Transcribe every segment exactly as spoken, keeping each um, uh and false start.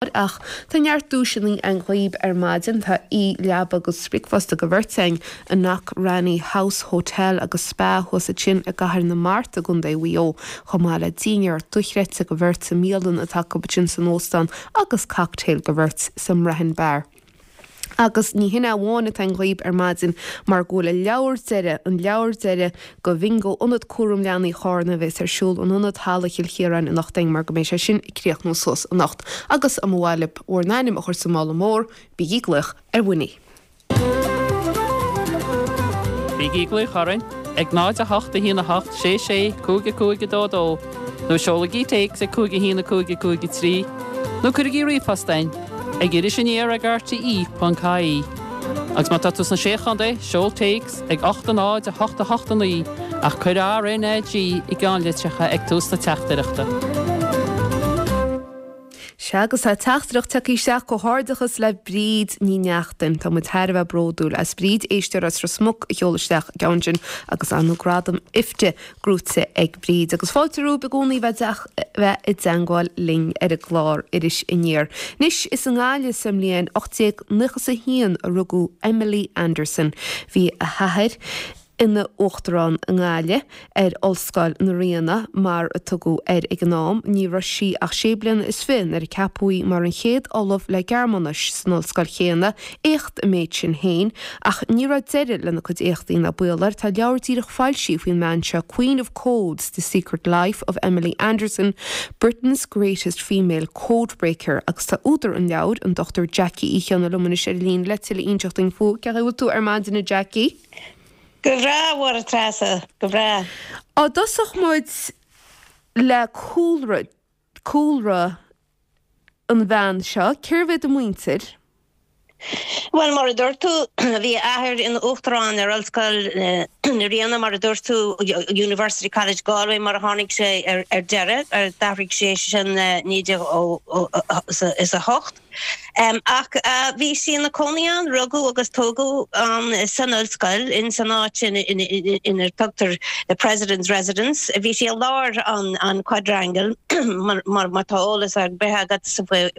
Ach tá neart duaiseanna againn dhaoibh ar maidin tá leaba agus bricfeasta do bheirt againn i Knockranny House Hotel agus Spa thuas ansin i gCathair na Mart i gContae Mhaigh Eo chomh maith le dinnéar dochreidte do bheirt sa mbialann atá acu sin san óstán agus cocktail do bheirt sa mBrehon Bar. Agus ní hin amháin atá againn dhaoibh ar maidin mar go bhfuil an leabhar deiridh an leabhar deiridh do bhingo ionad cúram leanaí Chárna a bheas ar siúl in ionad Halla Chill Chiaráin anocht mar go mbeidh sé sin ag críochnú suas anocht agus an bhfuil bhur n-ainm a chur sa mála mór bígí ag glaoch ar Winnie. Bígí ag glaoch orainn ag náid a hocht a haon a hocht sé sé cúig cúig dó dó, nó seolaigí téacs ag cúig haon cúig cúig trí, nó cuirigí ríomhphost chugainn ag iris aniar ag RTE ponc ie. Agus má tá tú sna Sé Chontae seol téacs ag ocht náid a hocht a hocht naoi ach cuir RNG i gceannlitreacha ag tús na teachtaireachta. Sea agus tá teachtaireacht tagtha isteach comhghairdeachas le Bríd Ní Neachtain Tá muid thar a bheith bródúil as Bríd éisteoir as Ros Muc a sheol isteach ceann sin agus an gradam IFTA gnóthaithe ag Bríd agus fáilte romhaibh i gcónaí bheith bheith i dteagmháil linn ar an gclár Iris Aniar. Anois is i nGaillimh sa mbliain ocht déag nócha a haon a rugadh Emily Anderson. Bhí a hathair ina uachtarán i nGaillimh ar Ollscoil na Ríona mar a tugadh air ag an am, ní raibh sí ach sé bliana is fiche nuair a ceapadh í mar an chéad ollamh le Gearmáinis san ollscoil chéanna, éacht an méid sin féin, ach ní raibh deireadh lena cuid éachtaí ná baol air tá leabhar díreach foilsithe faoin mbean seo Queen of Codes, The Secret Life of Emily Anderson, Britain's Greatest Female Codebreaker agus tá údar an leabhair an Dr Jackie Uí Chionnaith liom anois ar líne le tuilleadh a inseacht dúinn faoi cén chaoi a bhfuil tú ar maidin a Jackie. Go breá a Treasa go breá. Á dtosóidh muid le cúlra cúlra an bhean seo, cérbh iad a muintir? Well mar a dúirt tú bhí athair ina uachtarán ar Ollscoil na Ríona mar a dúirt tú University College Galway mar a tháinig sé ar, ar deireadh ar d'athraigh sé sin naoi déag is a hocht. Um, ach uh, bhí sí ina cónaí ann rugadh agus tógadh um, san ollscoil in san áit ina tugtar the President's Residence. Bhí sí i lár an, an quadrangle mar, mar, mar tá eolas ar bith agat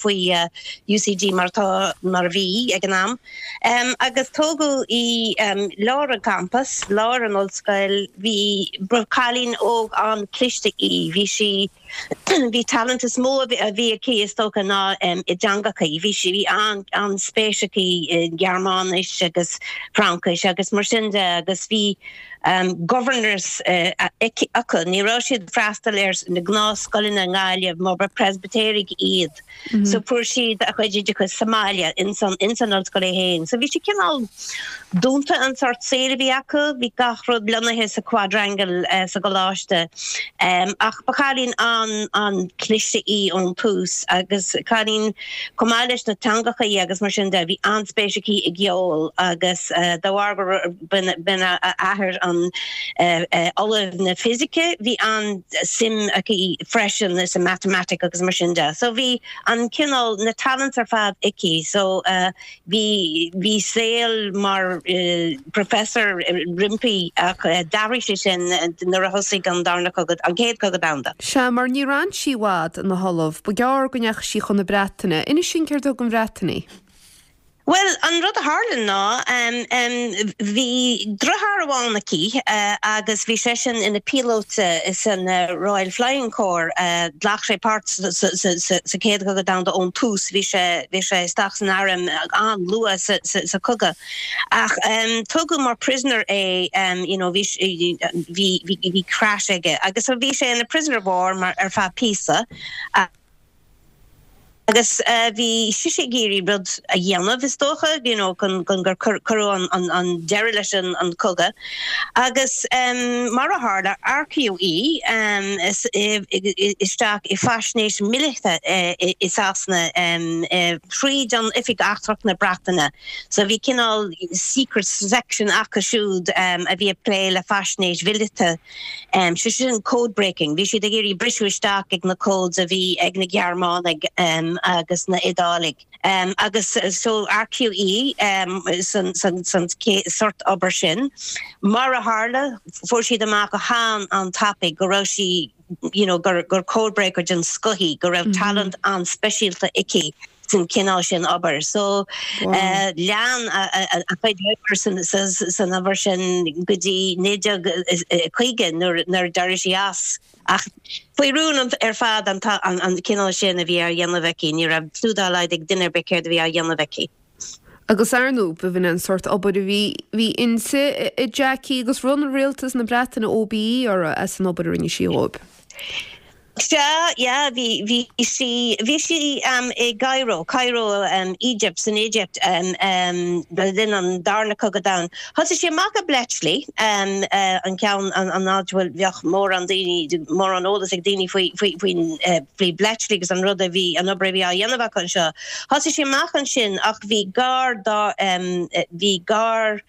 faoi uh, UCD mar tá mar bhí ag an am. Um, agus tógadh í um, lár an campus, lár an ollscoil, bhí cailín óg an-chliste í, bhí sí bhí talent is mó a bhí aici is dócha ná um, i dteangacha, bhí sí bhí an an-spéis aici i Gearmáinis agus Fraincis agus mar sin de agus bhí um, governors uh, acu ní raibh siad freastal ar na gnáthscoileanna i nGaillimh mar ba Presbyterian iad. Mm -hmm. So fuair siad a chuid oideachais sa mbaile in san in san ollscoil féin. So bhí sí cineál dúnta an sort saol a bhí acu, bhí gach rud lonnaithe sa quadrangle uh, sa gcoláiste. Um, ach ba chailín an an-chliste í ón tús agus cailín chomh maith leis na teangacha agus mar sin de bhí an-spéis aici i gceol agus uh, de bharr gur b'in a athair an uh, uh, ollamh na fisice bhí an-suim aici freisin is a mathematic agus mar sin de. So bhí an cineál na talent ar fad aici so uh, bhí bhí saol mar uh, professor roimpi ach uh, d'athraigh sé sin nuair a thosaigh an darna cogadh an chéad cogadh domhanda. Sea mar ní raibh sí i bhfad ina hollamh, ba ghearr go ndeachaigh sí chun na Breataine, inis dúinn céard a thug an Bhreatain í. Well an rud a tharla ná um, um, bhí deartháir amháin aici uh, agus bhí seisean ina píolóta san uh, Royal Flying Corps uh, ghlac sé páirt sa chéad chogadh domhanda ón tús bhí sé bhí sé isteach san arm an-luath sa, sa, sa chogadh. Ach um, tugadh mar prisoner é um, you know, bhí bhí bhí crash aige agus bhí sé ina prisoner of war mar ar feadh píosa. Uh, agus uh, bhí sí ag iarraidh rud a dhéanamh is dócha you know, chun gur cuireadh an, an, an deireadh leis an, an cogadh. Agus um, mar a tharla earcaíodh í um, isteach i faisnéis míleata uh, i Sasana um, uh, tríd an Oifig Eachtrach na Breataine. So bhí cineál secret section acu siúd um, a bhí ag plé le faisnéis mhíleata. Um, sé sin code breaking, bhí siad ag iarraidh briseadh isteach ag na codes a bhí ag na Gearmánaigh um, agus na hIodálaigh. Um, agus so earcaíodh í um, san, san, san sort obair sin. Mar a tharla fuair siad amach go han an-tapaidh go raibh sí you know, gur, gur codebreaker den scoth í, go raibh mm -hmm. talent an-speisialta aici san cineál sin obair. So wow. uh, lean a chuid oibre san, san obair sin go dtí naoi déag caoga nuair a d'éirigh sí as. Ach faoi rún ar fad an, an, an cineál sin a bhí á dhéanamh aici, ní raibh clue dá laghad ag duine ar bith céard a bhí á dhéanamh aici. Agus ar ndóigh b'in an sort obair a bhí bhí inti a Jackie agus bhronn rialtas na Breataine OBE uirthi as an obair a rinne sí dhóibh. Sea, yeah, bhí bhí sí bhí sí um, i gCairo, Cairo um, Egypt san Egypt um, um, linn an darna cogadh domhanda. Thosaigh sí amach i Bletchley um, uh, an ceann an, an áit bhfuil bheadh mórán daoine mórán eolas ag daoine faoi faoi faoi uh, faoi Bletchley agus an rud a bhí an obair a bhí á dhéanamh acu anseo. Thosaigh sí amach ansin ach bhí gar dá um, bhí gar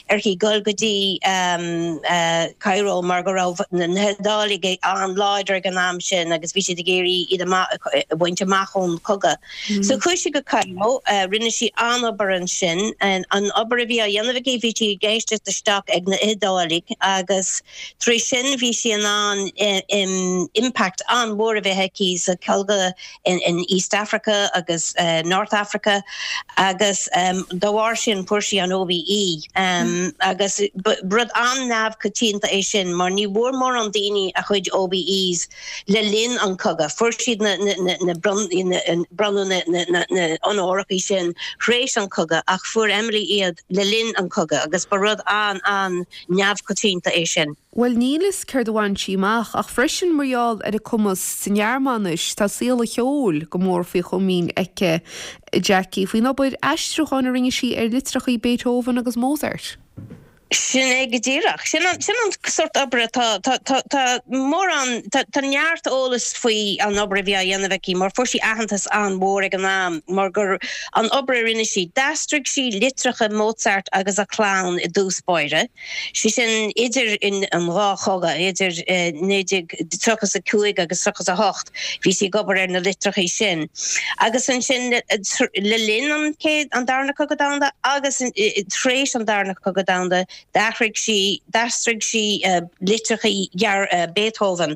uirthi dul go dtí um, uh, Cairo mar go raibh na hIodálaigh an-láidir ag an am sin agus bhí siad ag iarraidh iad a bhaint amach ón cogadh. Mm. So chuaigh sí go Cairo uh, rinne sí an-obair ansin an, an obair a bhí á dhéanamh aici bhí sí ag éisteacht isteach ag na hIodálaigh agus trí sin bhí sí in ann um, impact an-mhór a bheith aici sa chogadh in, in East Africa agus uh, North Africa agus um, dá bharr sin fuair sí an OBE um, mm. agus rud an-neamhchoitianta é sin mar ní bhfuair mórán daoine a chuid OBEs le linn an cogadh. Fuair siad na, na, na, bronnadh na, na, na onórachaí sin thréis an cogadh ach fuair Emily iad le linn an cogadh agus ba rud an an-neamhchoitianta é sin. Well níl a fhios céard a bhain sí amach ach freisin mar gheall ar a cumas sa nGearmáinis tá saol an cheoil go mór faoi chomaoin aici Jackie faoin obair aistriúcháin a rinne sí ar litreacha Beethoven agus Mozart. Sin é go díreach. Sin an, sin an sort oibre tá tá tá tá mórán tá, tá neart eolas faoi an obair a bhí á dhéanamh aici, mar fuair sí aitheantas an-mhór ag an am, mar gur an obair a rinne sí d'aistrigh sí litreacha Mozart agus a chlann i dtús báire. Sí sin idir in an dhá chogadh idir eh, tríocha a cúig agus tríocha a hocht, bhí sí ag obair ar na litreacha sin. Agus ansin le, le linn an céad an darna cogadh domhanda agus tréis an darna cogadh domhanda d'athraigh sí d'aistrigh sí uh, litreacha uh, Beethoven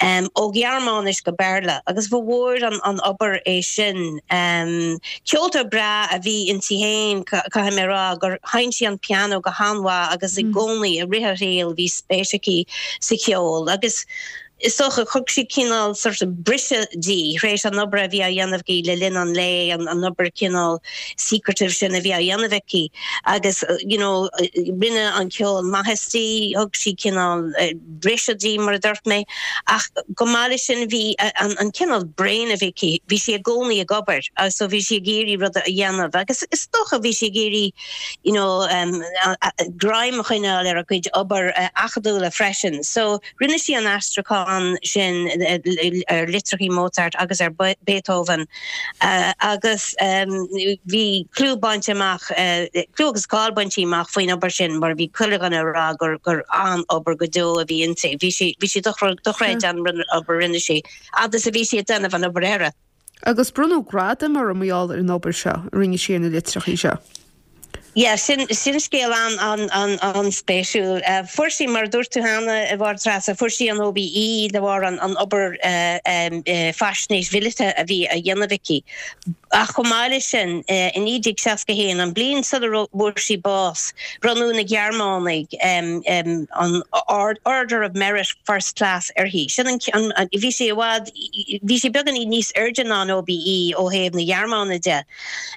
um, ó Ghearmáinis go Béarla agus ba mhór an, an obair é sin. Um, Ceoltóir breá a bhí inti féin caithfidh mé rá gur sheinn sí an piano go han-mhaith agus i mm. gcónaí i rith a saoil bhí spéis aici sa cheol agus is dócha thug sí cineál sort of briseadh di thréis an obair a bhí á dhéanamh aici le linn an lae an, an obair cineál secretive sin a bhí á dhéanamh aici agus uh, you know rinne an ceol maitheas di thug sí cineál uh, briseadh di mar a dúirt mé ach go maith sin bhí uh, an, an cineál brain a bhí aici bhí sí i gcónaí ag obair so bhí sí ag iarraidh rud a dhéanamh agus is dócha bhí sí ag iarraidh you know um, greim a choinneáil ar a cuid obair uh, acadúla freisin so rinne sí an aistriúchán sin ar litreacha Mozart agus ar Beethoven uh, agus um, bhí clú bainte amach uh, clú agus cáil bainte amach faoin obair sin mar bhí chuile dhuine ag rá gur gur an-obair go deo a bhí inti. Bhí sí bhí sí dochreidte an obair rinne sí agus a bhí sí ag déanamh an obair eile. Agus bronnadh gradam uirthi mar gheall ar an obair seo rinne sí na litreacha seo. Ja, sin sin scéal an an an an-spéisiúil. Uh, Fuair sí mar dúirt tú cheana a Mháire Treasa fuair sí an OBE de bharr an an obair uh, um, uh, faisnéis mhíleata a bhí á dhéanamh aici. Ach chomh maith leis sin uh, in naoi déag seasca haon an bliain sula bhfuair sí bás bronnadh na Gearmánaigh um, um, an Order of Merit First Class uirthi. Sin an, an, an, bhí sí bhfad bhí sí beagáinín níos airde ná an OBE ó thaobh na Gearmáine de.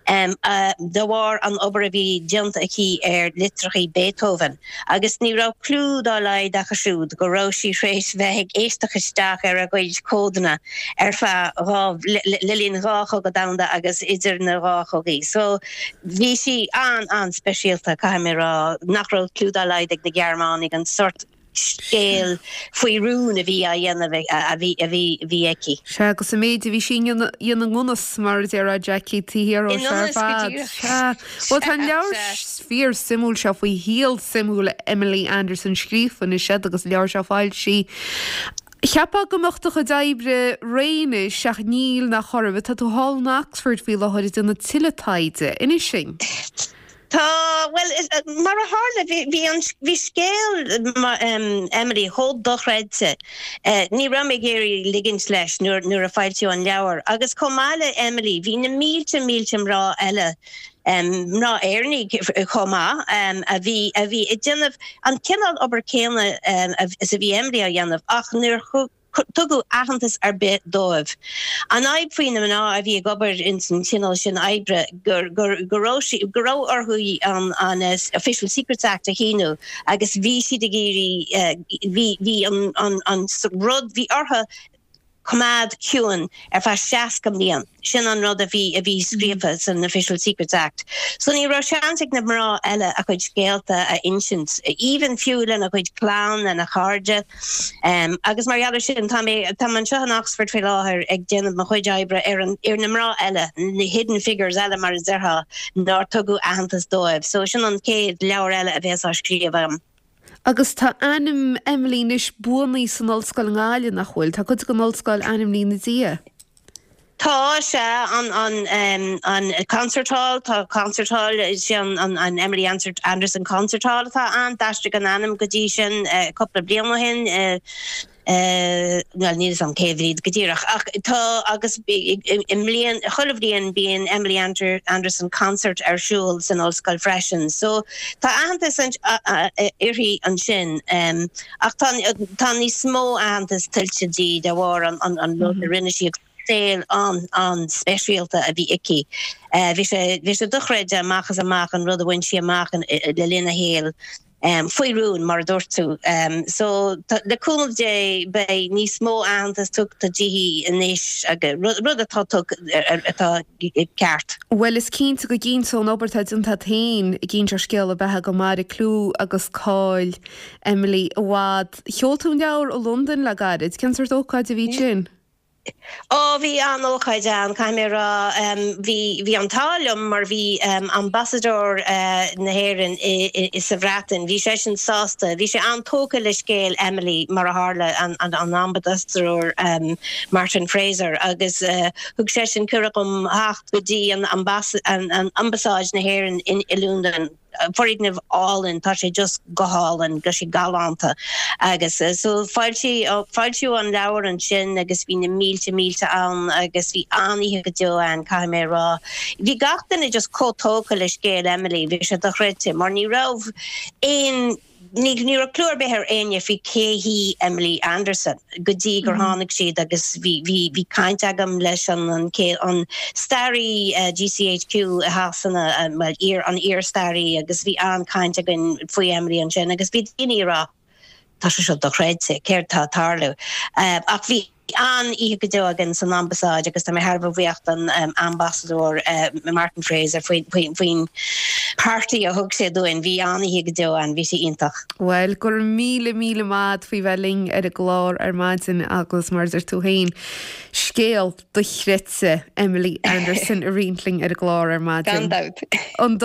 Um, uh, de bharr an obair a bhí déanta aici ar litreacha Beethoven. agus ní raibh clue dá laghad acu siúd go raibh sí thréis bheith ag éisteacht isteach ar a gcuid códanna ar feadh le linn dhá chogadh domhanda agus idir na dhá chogaí. So bhí sí an an-speisialta caithfidh mé rá nach raibh clue dá laghad ag na Gearmánaigh an sort scéal faoi rún a bhí á dhéanamh a bhí a bhí bhí aici. Sea agus an méid a bhí sí ina nganas mar a déarfá Jackie tí ar Well tá leabhar fíorsuimiúil seo faoi shaol suimiúil Emily Anderson scríofa anois agus leabhar seo foilsithe Cheapfá go mbeadh do chuid oibre réidh anois ach níl nach orm, tá tú thall in Oxford faoi láthair ag déanamh tuilleadh taighde. Inis dúinn. Tá well mar a tharla bhí an bhí scéal um, Emily chomh dochreidte. Uh, ní raibh mé ag iarraidh ligint leis nuair nuair a foilsíodh an leabhar. agus chomh maith le Emily bhí na mílte mílte mná eile um, mná Éireannaigh chomh maith um, a bhí a bhí ag déanamh an cineál obair céanna um, is a bhí Emily á dhéanamh ach níor tugadh aitheantas ar bith dóibh. An fhadhb faoi na mná a bhí ag obair in san cineál sin oibre gur gur go raibh orthu an an uh, Official Secrets Act a shíniú agus bhí siad ag iarraidh bhí bhí an an an rud bhí orthu coimeád ciúin ar feadh seasca bliain. Sin an rud a bhí a bhí scríofa san Official Secrets Act. So ní raibh seans ag na mná eile a chuid scéalta a insint, even fiú lena chuid clann lena chairde. Um, agus mar gheall sin tá tá anseo in Oxford faoi láthair ag déanamh mo chuid oibre ar an ar na mná eile, na hidden figures eile mar a déarfá nár tugadh aitheantas dóibh. So sin an chéad leabhar eile a bheas á scríobh agam. Agus tá ainm Emily anois buanaithe san ollscoil i nGaillimh nach bhfuil, Tá cuid den ollscoil ainmnithe ina diaidh. Tá sé an an um, an concert hall tá concert hall sin an, an Emily Anderson concert hall atá an d'aistrigh an ainm go dtí sin uh, cúpla bliain ó shin uh, Uh, well níl an céhíd go díreach ach tá agus i mbliain chuile bhliain bíonn Emily Ander Anderson concert ar siúl san ollscoil freisin. So tá aitheantas uirthi ansin um, ach tá tá níos mó aitheantas tuillte di de bharr an an, an mm -hmm. rinne sí saol an an speisialta a bhí aici. Uh, bhí sé bhí sé dochreidte amach is amach an rud a bhain sí amach le linn a shaoil. Um, faoi rún mar a dúirt tú. Um, so le cúnamh Dé beidh níos mó aitheantas tugtha di anois agus rud atá atá ceart. Well is cinnte go gcinnteoidh an obair atá déanta agat féin i gcinnteoidh scéal a beatha go mairfidh clú agus cáil Emily i bhfad. Sheol tú an leabhar i Londain le gairid, cén sórt ócáid a bhí sin? Ó bhí an-ócáid ann caithfidh mé rá bhí bhí an t-ádh liom mar bhí um, ambasadóir uh, na hÉireann sa Bhreatain, Bhí sé sin sásta, bhí sé an-tógtha le scéal Emily mar a tharla an, an, an ambasadóir um, Martin Fraser agus uh, thug sé sin cuireadh dom theacht go dtí an, an, an ambasáid na hÉireann in i Londain foirgneamh álainn tá sé just go hálainn go sé galánta agus uh, so foilsíodh an leabhar ansin agus bhí na mílte mílte ann agus bhí an-oíche go deo ann caithfidh mé rá. Bhí gach duine just chomh tógtha le scéal Emily, bhí sé dochreidte, mar ní raibh aon ní ní raibh clue ar bith ar éinne faoi cé hí Emily Anderson go dtí gur mm -hmm. tháinig siad agus bhí bhí bhí caint agam leis an an, an staraí uh, GCHQ Shasana um, well, iar an iar-staraí agus bhí an-chaint againn faoi Emily ansin agus bhí daoine ag rá tá sé seo dochreidte céard tá ag tarlú. Uh, ach bhí an-oíche go deo againn san ambasáid agus tá mé thar a bheith buíoch don um, ambasadóir uh, Martin Fraser faoin party a thug sé dúinn bhí an-oíche go deo ann bhí sé iontach. Well gur míle míle maith faoi bheith linn ar an gclár ar maidin agus mar a deir tú féin. Scéal dochreidte Emily Anderson a roinnt linn ar an gclár ar maidin. An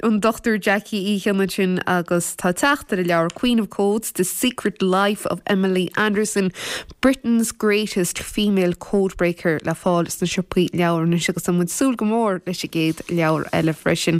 an Dr Jackie Uí Chionnaith sin agus tá teacht ar a leabhar Queen of Codes, The Secret Life of Emily Anderson, Britain's Greatest Female Codebreaker le fáil sna siopaí leabhar anois agus tá muid ag súil go mór leis an gcéad leabhar eile freisin.